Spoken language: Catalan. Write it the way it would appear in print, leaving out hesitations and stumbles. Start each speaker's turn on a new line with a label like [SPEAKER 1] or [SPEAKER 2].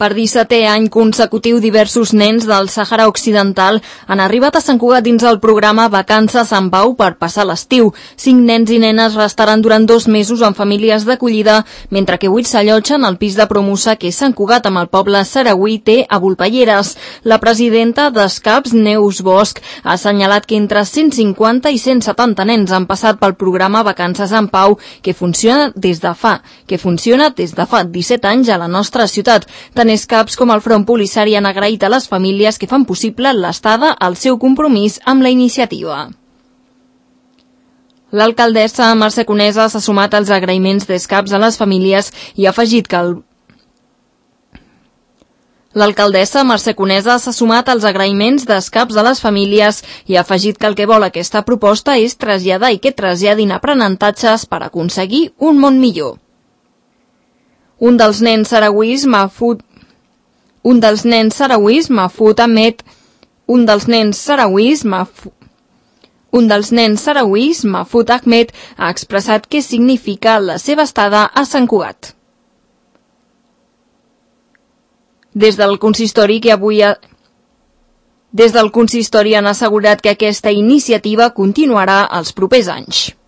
[SPEAKER 1] Per 17è any consecutiu, diversos nens del Sàhara Occidental han arribat a Sant Cugat dins el programa Vacances en Pau per passar l'estiu. 5 nens i nenes restaran durant 2 mesos en famílies d'acollida, mentre que 8 s'allotgen al pis de Promusa, que és Sant Cugat, amb el poble saragüí té a Volpelleres. La presidenta d'Escaps, Neus Bosch, ha assenyalat que entre 150 i 170 nens han passat pel programa Vacances en Pau, que funciona des de fa 17 anys a la nostra ciutat. Tant Escaps com el Front Polissari han agraït a les famílies que fan possible l'estada al seu compromís amb la iniciativa. L'alcaldessa Mercè Conesa s'ha sumat als agraïments d'Escaps a les famílies i ha afegit que L'alcaldessa Mercè Conesa s'ha sumat als agraïments d'Escaps a les famílies i ha afegit que el que vol aquesta proposta és traslladar i que traslladin aprenentatges per aconseguir un món millor. Un dels nens saragüís, Mahfoud Ahmed, ha expressat què significa la seva estada a Sant Cugat. Des del consistori han assegurat que aquesta iniciativa continuarà els propers anys.